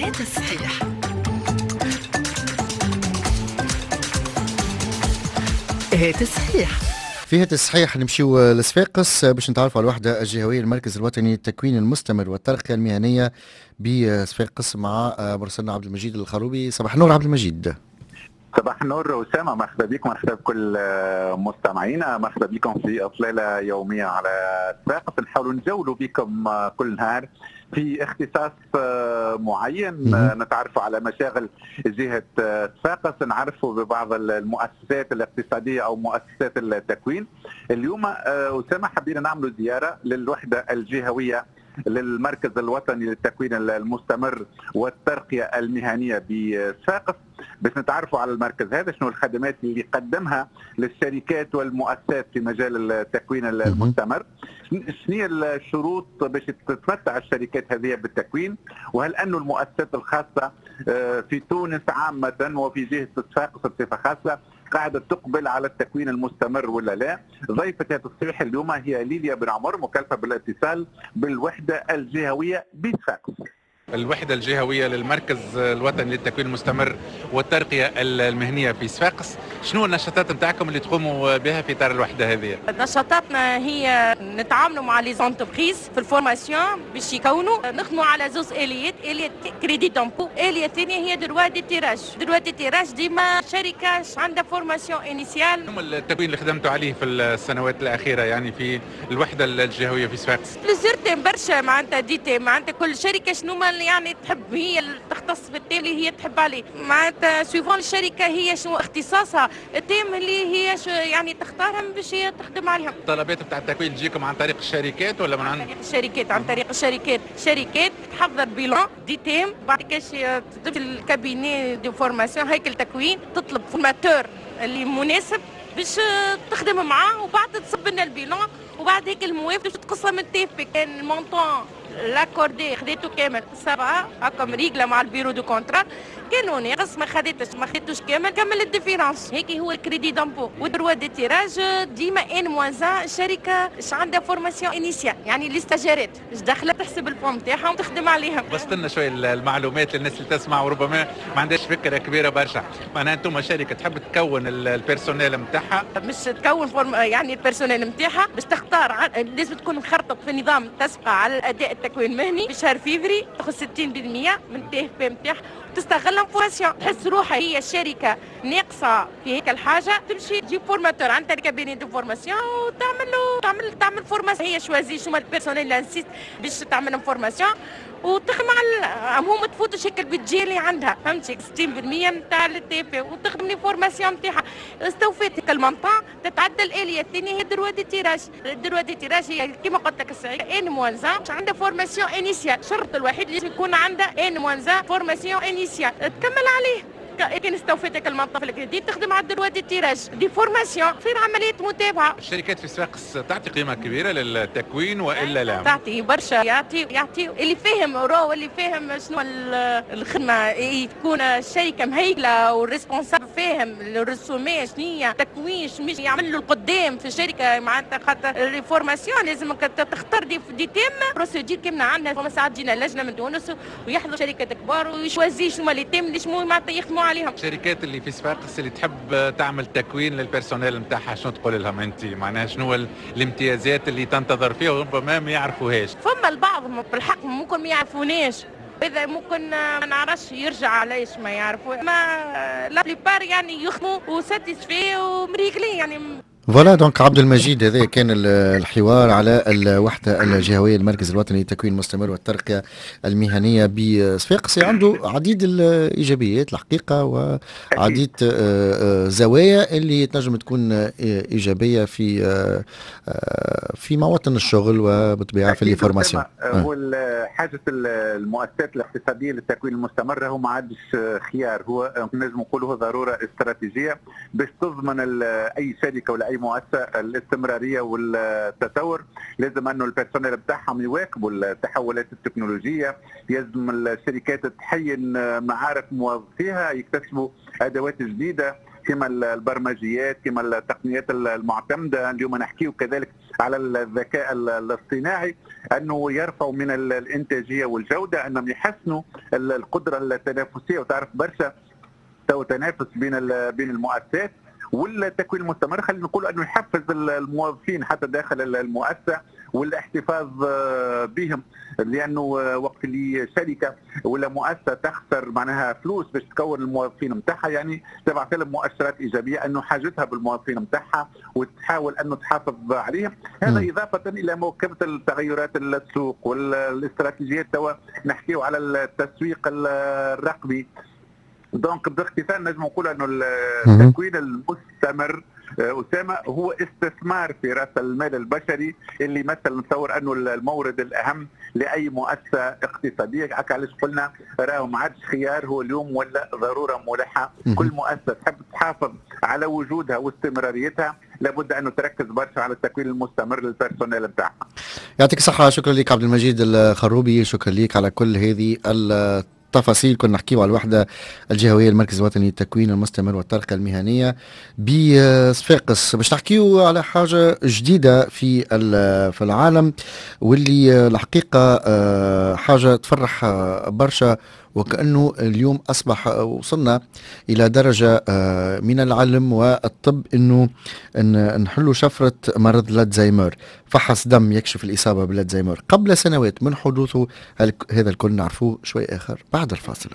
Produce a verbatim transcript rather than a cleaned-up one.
هات الصحيح. هات الصحيح. في هات الصحيح نمشيو لصفاقس باش نتعرفوا على الوحدة الجهوية للمركز الوطني للتكوين المستمر والترقيه المهنية بصفاقس مع مرسلنا عبد المجيد الخروبي. صباح النور عبد المجيد. صباح النور أسامة، مرحبا بكم، مرحبا بكل مستمعينا، مرحبا بكم في إطلالة يومية على صفاقس. نحاولوا نجولوا بكم كل نهار في اختصاص معين، نتعرفوا على مشاغل جهة صفاقس، نعرفوا ببعض المؤسسات الاقتصادية أو مؤسسات التكوين. اليوم أسامة حبينا نعمل زيارة للوحدة الجهوية للمركز الوطني للتكوين المستمر والترقية المهنية بصفاقس باش نتعرفوا على المركز هذا، شنو الخدمات اللي قدمها للشركات والمؤسسات في مجال التكوين المستمر، شنو الشروط باش تتمتع الشركات هذه بالتكوين، وهل أن المؤسسات الخاصة في تونس عامة وفي جهة صفاقس بصفة خاصة قاعدة تقبل على التكوين المستمر ولا لا. ضيفة هذا التصريح اليوم هي ليليا بن عمر، مكلفة بالاتصال بالوحدة الجهوية بصفاقس. الوحدة الجهوية للمركز الوطني للتكوين المستمر والترقية المهنية في صفاقس، شنو النشاطات نتاعكم اللي تقوموا بها في إطار الوحدة هذه؟ نشاطاتنا هي نتعاملوا مع les entreprises في ال formation باش يكونوا، نخدموا على زوز اليات، آلية crédit d'impôt، آلية ثانية هي droit de tirage. droit de tirage ديما شركة عندها formation initiale. شنو التكوين اللي خدمتوا عليه في السنوات الأخيرة يعني في الوحدة الجهوية في صفاقس؟ plusieurs thèmes برشا، معناتها des thèmes، معناتها كل شركة شنو يعني تحب هي تختص بال thème اللي هي تحب عليه، معناتها suivant الشركة هي شنو اختصاصها، ال thème اللي هي شو يعني تختارهم باش هي تخدم عليهم. الطلبات بتاع التكوين تجيكم عن طريق الشركات ولا من عن طريق الشركات؟ عن طريق الشركات، شركات تحضر bilan des thèmes، بعد كاش تمشي ال cabinet de formation هيكل تكوين، تطلب formateur اللي مناسب باش تخدم معاه، وبعد تصب لنا ال bilan، وبعد هيك الموافق باش تقصها من ال TFP. كان ال montant l'accordé خذيته كامل سبعة هكا مريقله مع ال bureau de contrat، كانوا ناقص ما خذيتش ما خذيتوش كامل كمل ال différence. هيك هو ال crédit d'impôt و droit de tirage ديما N moins un شركة اش عندها formation initiale، يعني les stagiaires اش داخله تحسب ال fonds تاعها وتخدم عليها. بسط لنا شوية المعلومات للناس اللي تسمع وربما ما عندهاش فكرة كبيرة برشا. معناها انتم شركة تحب تكون ال personnel نتاعها، مش تكون form يعني ال personnel نتاعها باش تختار، لازم تكون مخرطط في نظام تسبقه على الاداء التكوين المهني في شهر فيفري تاخذ ستين بالمية من TFP نتاعها وتستغلها formation. تحس روحها هي الشركة ناقصه في هيك الحاجة، تمشي تجيب formateur عند cabinet de formation وتعمل له تعمل تعمل formation، هي choisit شنو ال personnel nécessaire باش تعمل formation وتخدم على هو ما تفوتش هيك ال budget اللي عندها، فهمتي؟ ستين بالمية نتاع ال TFP وتخدم les formations نتاعها. استوفيت هيك ال montant تتعدى الالية الثانية هي droit de tirage. ال droit de tirage هي كيما قلت لك الساعة N moins un عندها formation initiale، الشرط الوحيد اللي يكون عندها N moins un formation initiale تكمل عليه. كان استوفيتك ال montant في الكريدي تخدم على ال droit de tirage des formations، تصير عملية متابعه. الشركات في صفاقس تعطي قيمة كبيرة للتكوين والا لا؟ تعطي برشا، يعطي يعطي اللي فاهم راهو اللي فاهم شنو الخدمة، تكون الشركة مهيكله وال responsable فاهم الرسومات شنو هي التكوين شنو يعمل له القدام في الشركة، معناتها خاطر les formations لازم تختار des, des thèmes procédure كيما عندنا. فما ساعات تجينا لجنة من تونس ويحضروا شركات كبار وي choisit شنو les thèmes اللي شنو معناتها يخدموا عليهم. الشركات اللي في صفاقس اللي تحب تعمل تكوين لل personnel نتاعها شنو تقول لهم انت؟ معناها شنو الامتيازات اللي تنتظر فيها وربما ما يعرفوهاش؟ فما البعض بالحق ممكن ما يعرفوناش، اذا ممكن ما نعرفش يرجع علاش ما يعرفوا، ما la plupart يعني يخدموا و satisfaits ومريقلين يعني. voilà donc عبد المجيد، هذا كان الحوار على الوحدة الجهوية للمركز الوطني للتكوين المستمر والترقيه المهنية بصفاقس. عنده عديد الايجابيات الحقيقة وعديد زوايا اللي تنجم تكون ايجابية في في مواطن الشغل وبالطبيعه في les formations. هو حاجة المؤسسات الاقتصادية للتكوين المستمر هو ما عادش خيار، هو نجم نقولوا ضرورة استراتيجية باش تضمن اي شركة ولا اي مؤسسة الاستمرارية والتطور. لازم انه ال personnel بتاعهم يواكبوا التحولات التكنولوجية، لازم الشركات تحين معارف موظفيها، يكتسبوا ادوات جديدة كما البرمجيات كما التقنيات المعتمدة. اليوم نحكيو كذلك على الذكاء الاصطناعي، انه يرفعوا من الانتاجية والجودة، انهم يحسنوا القدرة التنافسية. وتعرف برشا تو تنافس بين بين المؤسسات، والتكوين المستمر خلينا نقول انه يحفز الموظفين حتى داخل المؤسسة والاحتفاظ بهم، لانه وقت اللي شركة ولا مؤسسة تخسر معناها فلوس باش تكون الموظفين نتاعها، يعني تبعث لهم مؤشرات ايجابية انه حاجتها بالموظفين نتاعها وتحاول انه تحافظ عليهم. هذا اضافه الى مواكبة التغيرات السوق والاستراتيجيات. توا نحكيو على التسويق الرقمي. donc باختصار نجم نقول انه التكوين المستمر اسامة هو استثمار في راس المال البشري اللي مثل نتصور انه المورد الاهم لاي مؤسسة اقتصادية. هكا علاش قلنا راهو ما عادش خيار، هو اليوم ولا ضرورة ملحة. كل مؤسسة تحب تحافظ على وجودها واستمراريتها لابد انه تركز برشا على التكوين المستمر لل personnel نتاعها. يعطيك الصحه، شكرا لك عبد المجيد الخروبي، شكرا لك على كل هذه التفاصيل. كنا نحكيو على الوحدة الجهوية المركز الوطني للتكوين المستمر والترقية المهنية بصفاقس. باش نحكيو على حاجة جديدة في في العالم، واللي الحقيقة آه، حاجة تفرح برشا، وكأنه اليوم أصبح وصلنا إلى درجة آه، من العلم والطب أنه نحلوا شفرة مرض الزهايمر. فحص دم يكشف الإصابة بالزهايمر قبل سنوات من حدوثه. هذا الكل نعرفوه شوي آخر بعد الفاصل.